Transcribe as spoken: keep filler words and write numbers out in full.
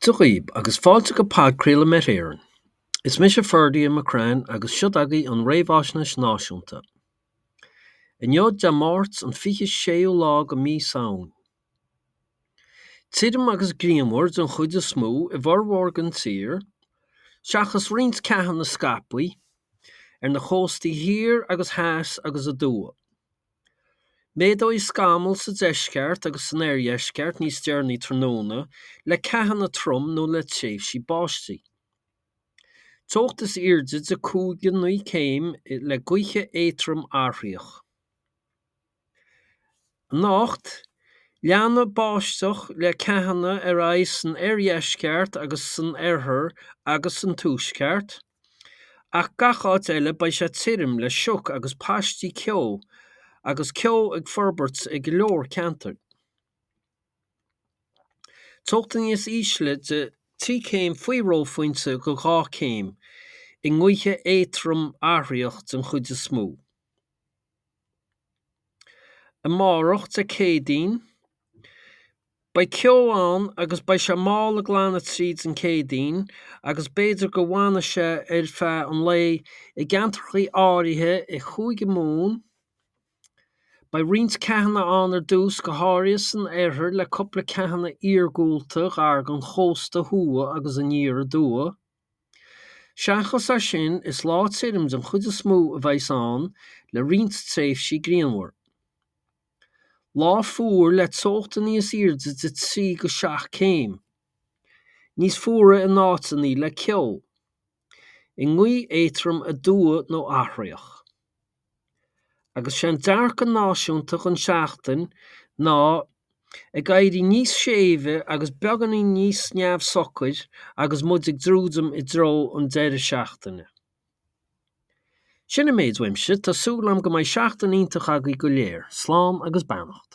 Dia dhaoib agus fáilte go podchraoladh Met Éireann. Is mise Ferdia McCrann agus seo agaibh an Réamhaisnéis Náisiúnta. Inniu Dé Máirt an fiche séú lá de mhí Samhain. Tirim agus grianmhar den chuid is mó i bhformhór den tír, seachas roinnt ceathanna scaipthe ar na cóstaí thiar agus theas agus aduaidh. Méadóidh scamaill sa deisceart agus san oirdheisceart níos deireanaí tráthnóna le ceathanna trom nó le tréimhsí báistí. Teocht is airde de cúig go naoi céim le gaoth éadrom athraitheach. Anocht, leanfaidh báisteach le ceathanna ar aghaidh san oirdheisceart agus san oirthear agus san tuaisceart, ach gach áit eile beidh sé tirim le sioc agus paistí ceo agus ceo ag forbairt i go leor ceantar. Teochtaí níos ísle de trí céim faoi reophointe go dhá céim, i ngaoth éadrom athraitheach den chuid is mó. Amárach, Dé Céadaoin, beidh ceo ann agus beidh sé mall ag glanadh tríd an Chéadaoin agus b'fhéidir go bhfanfaidh sé ar feadh an lae i gceantracha áirithe i Chúige Mumhan. Beidh roinnt ceathanna ann ar dtús, go háirithe san oirthear le cúpla ceathanna iargúlta gar don chósta thuaidh agus aniar aduaidh. Seachas é sin, is lá tirim den chuid is mó a bheas ann le roinnt tréimhsí grianmhar. Lá fuar le teochtaí níos airde de trí go seacht céim. Níos fuaire in áiteanna le ceo. I ngaoth éadrom aduaidh nó athraitheach. Agus sé an dearcadh náisiúnta don seachtain ná ag éirí níos séimhe agus beagáinín níos neamhshocair agus muid ag druidim i dtreo an deireadh seachtaine. Sin an méid uaimse, tá súil agam go mbeidh seachtain iontach agaibh go léir. Slán agus beannacht.